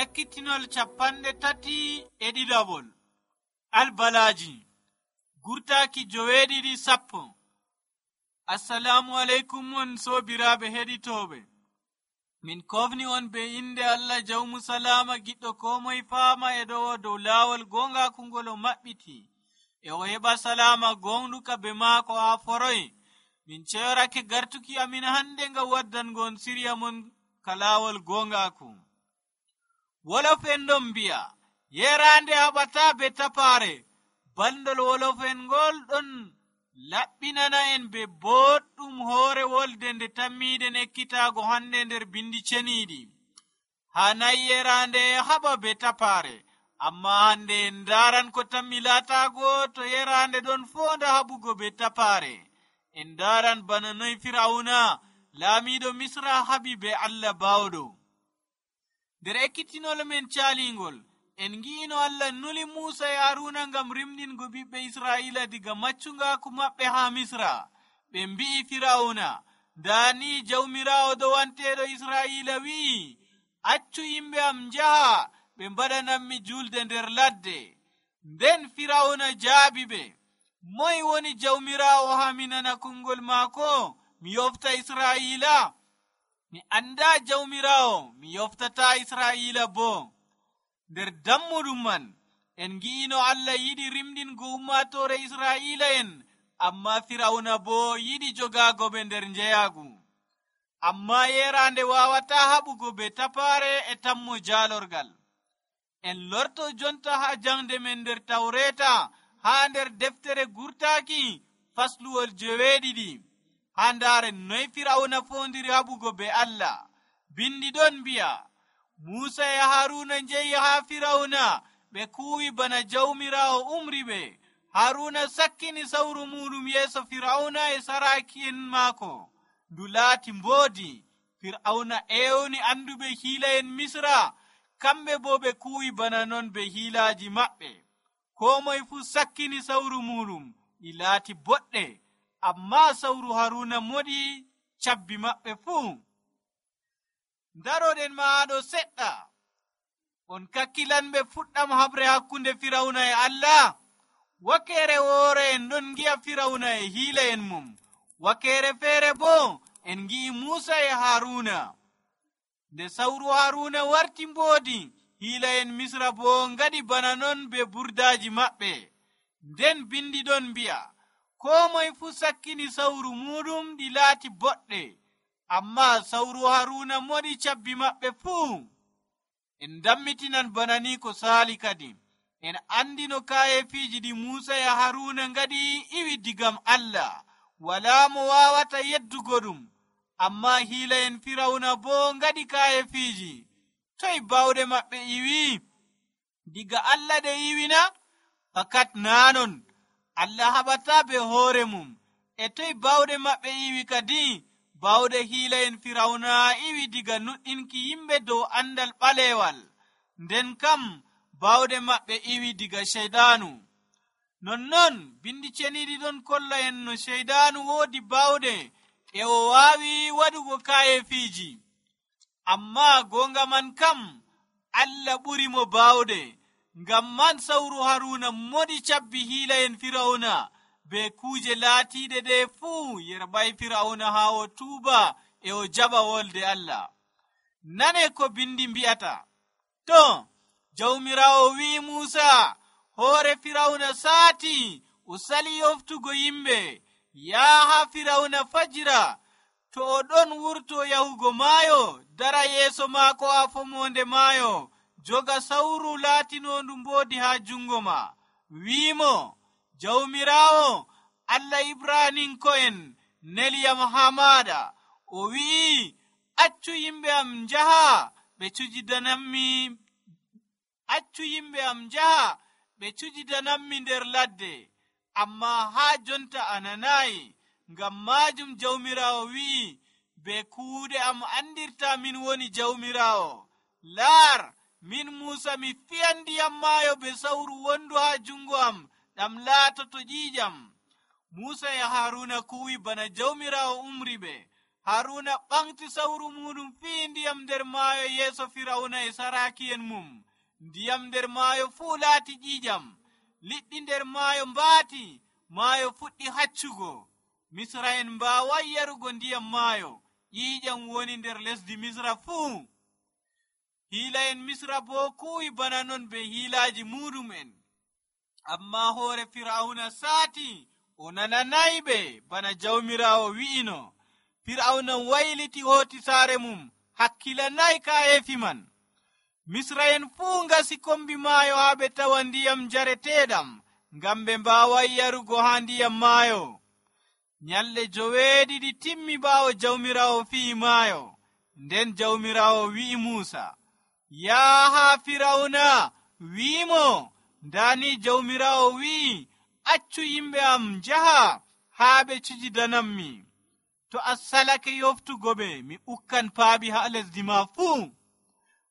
Ekkitinol 37 Albalaaji gurtaaki 7:10. Assalamu aleykum on soobiraaɓe heɗitooɓe. Min kofni on be inde Allah jawmu salama giɗɗo ko moye faama e ɗo dow laawol gongaku ngol o maɓɓiti e o heɓa salama gonɗuka be maako haa foroy. Min ceyorake gartuki amin hande ngam waddangon sirya mon ka laawol gongaku. Wolof en ɗon mbi'a yerande haɓata be tapaare. Balɗol wolof en ngol ɗon laɓɓinana en be boɗɗum hoore wolde nde tammiɗen ekkitaago hande nder bindi ceniiɗi. Ha nayi yerande haɓa be tapaare, amma hande en ndaran ko tammi laataago to yerande ɗon fonda haɓugo be tapaare. En ndaran bana noy Firawuna laamiɗo Misra haɓi be Allah baawɗo. Nder ekkitinol men caalingol en ngi'ino Allah nuli Muusa e Haruna ngam rimɗingo ɓiɓɓe Israa'ila diga maccungaku maɓɓe haa Misra. Ɓe mbi'i Firawuna, ndani jawmiraawo dowanteeɗo Israa'ila wi'i, accu yimɓe am njaha ɓe mbaɗananmi julde nder ladde. Nden Firawuna jaabi ɓe, moye woni jawmiraawo haa mi nana kongol maako mi yofta Israa'ila? Mi andaa jawmiraawo, mi yoftata Israa'ila boo. Nder dammuɗum man en ngi'ino Allah yiɗi rimɗingo ummaatoore Israa'ila en, amma Firawuna boo yiɗi jogaago ɓe nder njeyaagu. Amma yerande waawata haɓugo be tapaare e tammo jaalorgal. En lorto jonta haa jangde men nder Tawreeta haa nder deftere gurtaaki fasluwol 7. haa ndaaren noy Firawuna foondiri haɓugo be Allah. Bindi ɗon mbi'a, Muusa e Haruna njehi haa Firawuna ɓe kuuwi bana jawmiraawo umri ɓe. Haruna sakkini sawru muɗum yeeso Firawuna e saraaki'en maako. Ndu laati mboodi. Firawuna ewni anduɓe hiila'en Misra, kamɓe bo ɓe kuuwi bana non be hiilaaji maɓɓe. Koo moye fuu sakkini sawru muɗum, ɗi laati boɗɗe, amma sawru Haruna moɗi cabbi maɓɓe fuu. Daroɗen maaɗo seɗɗa, on kakkilanɓe fuɗɗam habre hakkunde Firawuna e Allah. Wakeere woore en ɗon ngi'a Firawuna e hiila'en mum, wakeere feere boo en ngi'i Muusa e Haruna. Nde sawru Haruna warti mboodi, hiila'en Misra boo ngaɗi bana non be burdaaji maɓɓe. Nden bindi ɗon mbi'a, koo moye fuu sakkini sawru muɗum ɗi laati boɗɗe, amma sawru Haruna moɗi cabbi maɓɓe fuu. En dammitinan bana ni ko saali kadi. En andino kaayefiiji ɗi Muusa e Haruna ngaɗi iwi digam Allah. Walaa mo waawata yeddugo ɗum, amma hiila'en Firawuna boo ngaɗi kaayefiiji. Toy bawɗe maɓɓe iwi? Diga Allah ɗe iwina? Fakat naanon. Allah haɓataa be hoore mum. E toy bawɗe maɓɓe iwi kadi? Bawɗe hiila'en Firawuna iwi diga nuɗɗinki yimɓe dow andal ɓaleewal. Nden kam bawɗe maɓɓe iwi diga Ceyɗaanu. Nonnon bindi ceniiɗi ɗon kolla en no Ceyɗaanu woodi bawɗe e o waawi waɗugo kaayefiiji. Amma gonga man kam Allah ɓuri mo bawɗe. Ngam man sawru Haruna moɗi cabbi hiila'en Firawuna be kuuje laatiiɗe ɗe fuu yerɓay Firawuna haa o tuuba e o jaɓa wolde Allah. Nane ko bindi mbi'ata. To, jawmiraawo wi'i Muusa, hoore Firawuna saati, o sali yoftugo yimɓe. Yaha Firawuna fajira, to o ɗon wurto yahugo maayo, dara yeeso maako haa fomonde maayo, joga sawru laatinondu mboodi haa jungo ma. Wi'imo, jawmiraawo Allah Ibraninko'en neliyam haa maaɗa. O wi'i, accu yimɓe am njaha ɓe cujidanammi nder ladde. Amma haa jonta a nanayi. Ngam maajum jawmiraawo wi'i, be kuuɗe am andirta min woni jawmiraawo. Laar, min Muusa mi fiyan ndiyam maayo be sawru wondu haa jungo am ɗam laatoto ƴiiƴam. Muusa e Haruna kuwi bana jawmiraawo umri ɓe. Haruna ɓamti sawru muɗum fii ndiyam nder maayo yeeso Firawna e saraki'en mum. Ndiyam nder maayo fuu laati ƴiiƴam. Liɗɗi nder maayo mbaati. Maayo fuɗɗi haccugo. Misra'en mbaaway yarugo ndiyam maayo. Ƴiiƴam woni nder lesdi Misra fuu. Hiila'en Misra boo kuwi bana non be hiilaaji muɗum'en. Ammaa hoore Firawna saati, o nananayɓe bana Jawmiraawo wi'ino. Firawna wayliti hooti saare mum, hakkilanay kaayefi man. Misra'en fuu ngasi kombi maayo haa ɓe tawa ndiyam jareteeɗam, ngam ɓe mbaaway yarugo haa ndiyam maayo. Nyalɗe 7 timmi ɓaawo Jawmiraawo fi'i maayo. Nden Jawmiraawo wi'i Muusa, yaaha Firawna, wi'imo, ndaani Jawmiraawo wi'i, accu yimɓe am njaha haa ɓe cujidanammi. To a salake yoftugo ɓe, mi ukkan paaɓi haa lesdi ma fuu.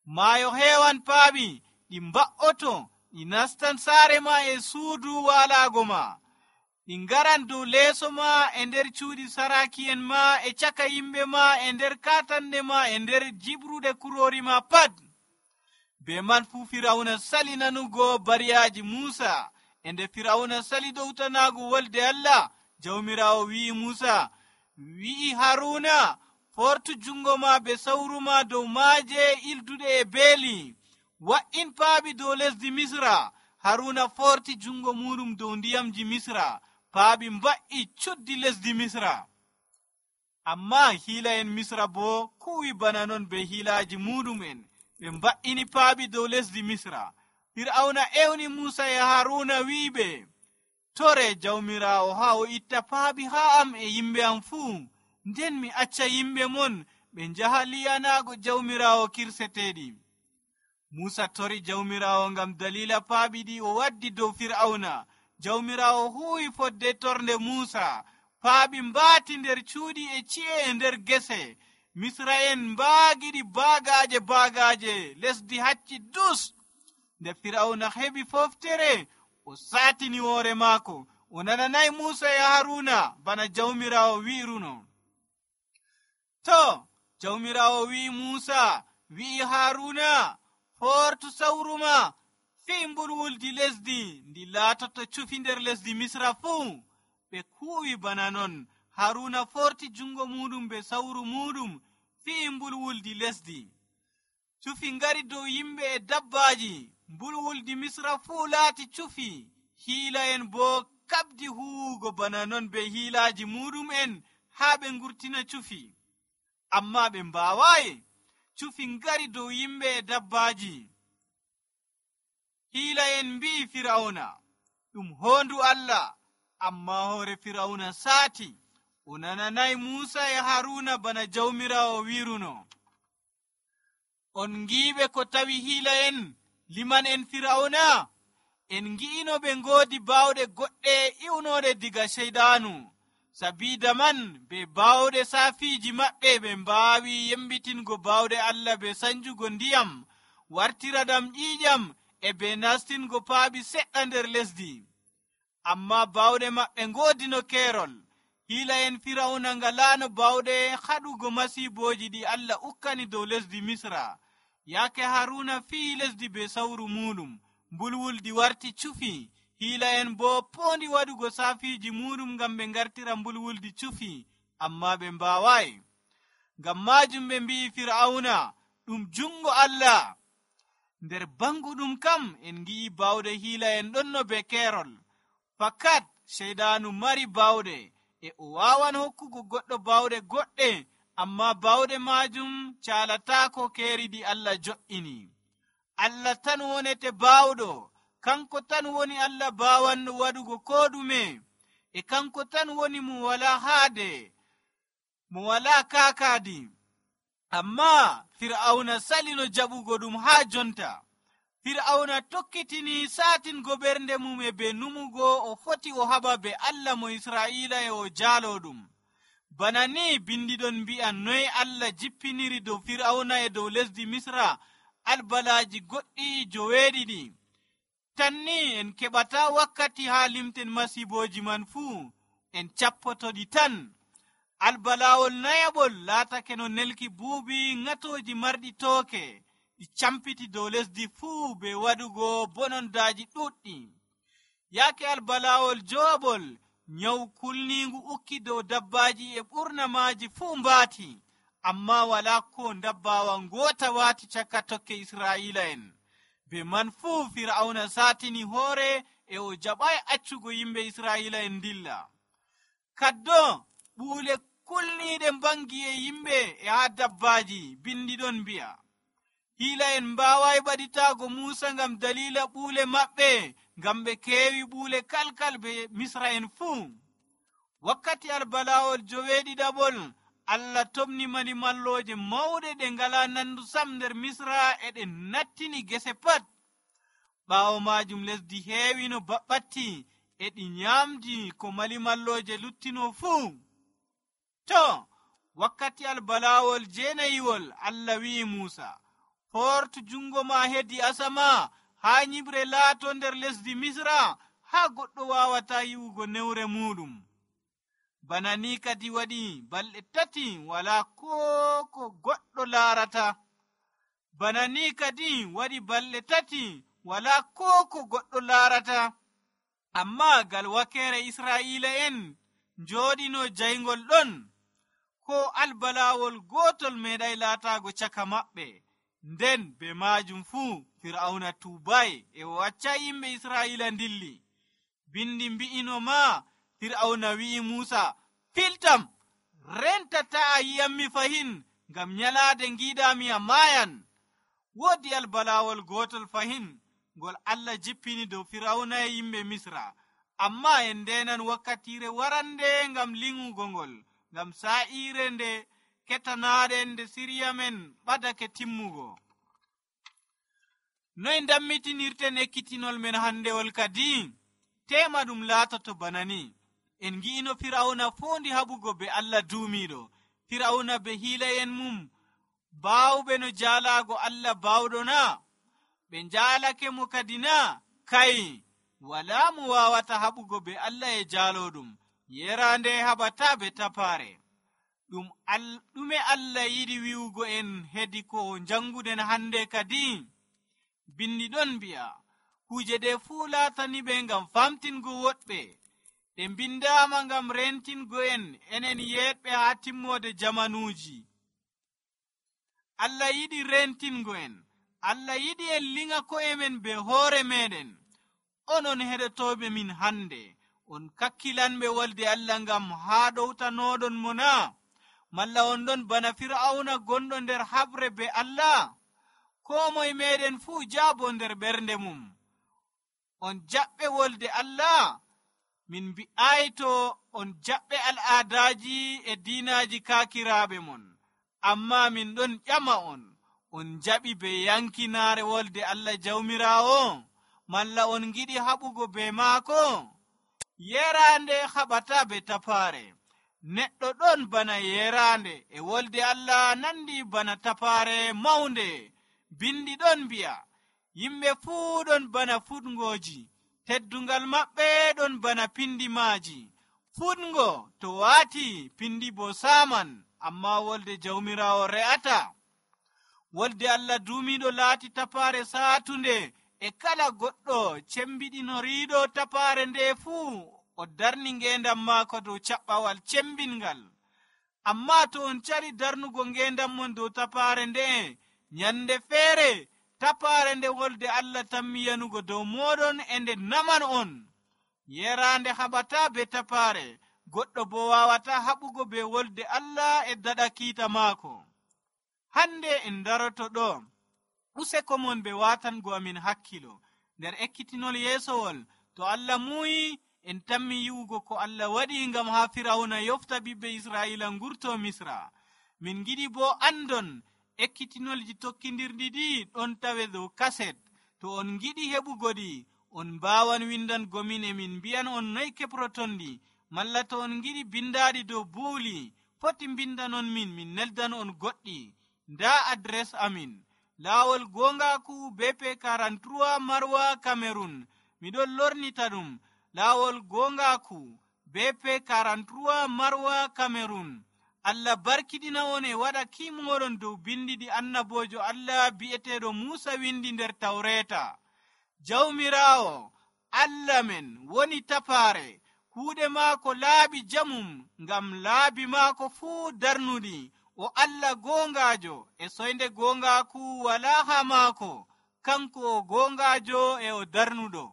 Maayo heewan paaɓi, ɗi mba'oto, ɗi nastan saare ma e suudu waalaago ma. Ɗi ngaran dow leeso ma e nder cuuɗi saraki'en ma e caka yimɓe ma e nder kaatande ma e nder jibrude kuroori ma pat. Be man fuu Firawna sali nanugo bariyaaji Muusa. E nde Firawna sali dowtanaago wolde Allah, Jawmiraawo wi'i Muusa, wi'i Haruna, fortu jungo ma be sawru ma dow maaje ilduɗe e beeli. Wa'in paaɓi dow lesdi Misra. Haruna forti jungo muɗum dow ndiyamji Misra. Paaɓi mba'i cuddi lesdi Misra. Ammaa hiila'en Misra boo kuwi bana non be hiilaaji muɗum'en. Ɓe mba'ini paaɓi dow lesdi Misra. Fir'auna ewni Muusa e Haruna wi'iɓe, tore Jawmiraawo haa o itta paaɓi haa am e yimɓe am fuu, nden mi acca yimɓe mon ɓe njaha liyanaago Jawmiraawo kirseteeɗi. Muusa tori Jawmiraawo ngam dalila paaɓi ɗi o waddi dow Fir'auna. Jawmiraawo huuwi fodde tornde Muusa. Paaɓi mbaati nder cuuɗi e ci'e e nder gese. Misra'en mbaagiɗi baagaaje, lesdi hacci dus. Nde Fir'auna heɓi foftere, o saatini hoore maako. O nananay Muusa e Haruna bana Jawmiraawo wi'iruno. To, Jawmiraawo wi'i Muusa, wi'i Haruna, fortu sawru ma, fii mbulwuldi lesdi, ndi laatoto cufi nder lesdi Misra fuu. Ɓe kuuwi bana non. Haruna forti jungo muɗum be sawru muɗum, fii mbulwuldi lesdi. Cufi ngari dow yimɓe e dabbaaji. Mbulwuldi Misra fuu laati cufi. Hiila'en boo kabdi huwugo bana non be hiilaaji muɗum'en haa ɓe ngurtina cufi. Ammaa ɓe mbaawayi. Cufi ngari dow yimɓe e dabbaaji. Hiila'en mbi'i Firawna, ɗum hoondu Allah. Ammaa hoore Firawna saati. O nananay Muusa e Haruna bana Jawmiraawo wi'iruno. On ngiiɓe ko tawi hiila'en liman en Firawna? En ngi'ino ɓe ngoodi baawɗe goɗɗe iwnooɗe diga Seydaanu. Sabiida man be baawɗe saafiiji maɓɓe ɓe mbaawi yembitingo baawɗe Allah be sanjugo ndiyam, wartiradam ƴiiƴam e be nastingo paaɓi seɗɗa nder lesdi. Ammaa baawɗe maɓɓe ngoodino keerol. Hiila'en Firawna ngalaano baawɗe haɗugo masiibooji ɗi Allah ukkani dow lesdi Misra. Yaake Haruna fii lesdi be sawru muɗum, mbulwuldi warti cufi. Hiila'en boo poondi waɗugo saafiiji muɗum ngam ɓe ngartira mbulwuldi cufi, ammaa ɓe mbaawayi. Ngam maajum ɓe mbi'i Fir'auna, ɗum jungo Allah. Nder banguɗum kam en ngi'i baawɗe hiila'en ɗonno be keerol. Fakat Seydaanu mari baawɗe, e o waawan hokkugo goɗɗo baawɗe goɗɗe, ammaa baawɗe maajum caalataako keeri ɗi Allah jo'ini. Allah tan wonete baawɗo. Kanko tan woni Allah baawanno waɗugo koo ɗume, e kanko tan woni mo walaa haade, mo walaa kaakaadi. Ammaa Fir'auna salino jaɓugo ɗum haa jonta. Fir'auna tokkitini saatingo ɓernde mum e be numugo o foti o haɓa be Allah mo Israa'iila e o jaalo ɗum. Bana ni bindiɗon mbi'a noy Allah jippiniri dow Fir'auna e dow lesdi Misra albalaaji goɗɗi 7. Tan ni en keɓata wakkati haa limten masiibooji man fuu, en cappotoɗi tan. albalawol nayaɓol laatake no nelki buubi ŋatoji marɗi tooke ɗi campiti dow lesdi fuu be waɗugo bonondaaji ɗuɗɗi. yaake albalawol jowaɓol nyawu kulniingu ukki dow dabbaji e ɓurna maaji fuu mbaati, amma wala ko dabbawa ngoota waati caka tokke israa'ila'en. be man fuu fir'auna saatini hoore e o jaɓay accugo yimɓe israa'ila'en dilla. kaddo ɓuule kulniiɗe mbangi e yimɓe e haa dabbaji bindi ɗon mbi'a hiila'en mbaaway ɓaɗitaago muusa ngam dalila ɓuule maɓɓe, ngam ɓe keewi ɓuule kalkal be misra'en fuu. wakkati albalawol joweeɗiɗaɓol Allah tomni mani mallooje mawɗe ɗe ngala nandu sam nder misra e ɗe nattini gese pat. ɓaawo maajum lesdi heewi no baɓɓatti e ɗi nyaamdi ko mali mallooje luttino fuu. to wakkati albalawol jeenayiwol Allah wi'i Muusa, fortu jungo ma hedi asama haa nyibre laato nder lesdi misra haa goɗɗo wawata yi'ugo newre muɗum. bana ni kadi waɗi balɗe 3 wala ko goɗɗo laarata. bana ni kadi waɗi balɗe 3 wala ko goɗɗo laarata. amma gal wakere isra'ila'en jooɗino jayngol ɗon, ko albalawol gotol meeɗay laatago caka maɓɓe. nden be majum fuu fir'auna tuubay e o wacca yimɓe isra'ila ndilli. bindi mbi'ino ma fir'auna wi'i Muusa, filtam, rentata a yiyammi fahin, ngam nyalaade ngiɗami a maayan. woodi albalawol gotol fahin ngol Allah jippini dow fir'auna e yimɓe misra, amma en ndenan wakkatire warande ngam liŋugo ngol, ngam sa'ire nde ketanaɗen nde siriya men ɓadake timmugo. noy dammitinirten ekkitinol men handewol kadi? tema ɗum laatoto bana ni. en ngi'ino fir'auna fondi haɓugo be Allah duumiɗo. fir'auna be hiilay'en mum baawɓe no jaalago Allah baawɗo na? ɓe njaalake mo kadi na? kai, wala mo wawata haɓugo be Allah e jaaloɗum. yerande haɓata be tapaare. ɗume Allah yiɗi wi'ugo en hedi ko janguden hande kadi? bindi ɗon mbi'a kuje ɗe fuu laatani ɓe ngam famtingo woɗɓe. ɗe bindama ngam rentingo enen yeɗɓe haa timmode jamanuuji. Allah yiɗi rentingo en. Allah yiɗi en liŋa ko'e men be hoore meɗen. onon heɗotoɓe min hande, on kakkilanɓe wolde Allah ngam haa ɗowtanoɗon mo na? malla on ɗon bana fir'auna gonɗo nder habre be Allah? ko moye meɗen fuu jaabo nder ɓernde mum. on jaɓɓe wolde Allah? min mbi'ay to on jaɓɓe al'adaji e diinaji kakiraɓe mon. amma min ɗon ƴama on jaɓi be yankinaare wolde Allah jawmirawo? malla on giɗi haɓugo be maako? yerande haɓata be tapaare. neɗɗo ɗon bana yerande e wolde Allah nandi bana tapaare mawnde. bindi ɗon mbi'a yimɓe fuu ɗon bana fuɗngoji, teddungal maɓɓe ɗon bana pindi maaji. fuɗngo to waati pindi bo saman, amma wolde jawmirawo re'ata. wolde Allah duumiɗo laati tapaare saatunde e kala goɗɗo cembiɗinoriiɗo tapaare nde fuu o darni ngendam maako dow caɓɓawal cembingal. amma to on cari darnugo ngendam mon dow tapaare nde, nyande feere tapaare nde wolde Allah tammi yanugo dow moɗon e nde naman on. yerande haɓata be tapaare, goɗɗo bo wawata haɓugo be wolde Allah e daɗa kiita maako. hande en daroto ɗo useko mon be watango amin hakkilo nder ekkitinol yeesowol. to Allah muyi en tammi yi'ugo ko Allah waɗi ngam haa fir'auna yofta ɓiɓɓe Isra'ila ngurto misra. min giɗi bo andon ekkitinolji tokkidirɗi ɗi ɗon tawe dow kaset. to on giɗi heɓugo ɗi, on mbawan windango min e min mbiyan on noy keproton ɗi. malla to on giɗi bindaɗi dow buuli, foti bindanon min neldan on goɗɗi. nda adres amin: Laawol Gongaku BP 43 Marwa Cameroon. miɗon lornita ɗum Laawol Gongaku BP 43 Marwa Cameroon. Allah barkiɗina on e waɗa kimoɗon dow bindi ɗi annabojo Allah bi'eteeɗo Muusa windi nder Tawreeta. Jawmiraawo Allah men woni tapaare, kuuɗe maako laaɓi jamum, ngam laabi maako fuu darnuɗi. O Allah goongaajo e soynde goongaaku walaa haa maako, kanko o goongaajo e o darnuɗo.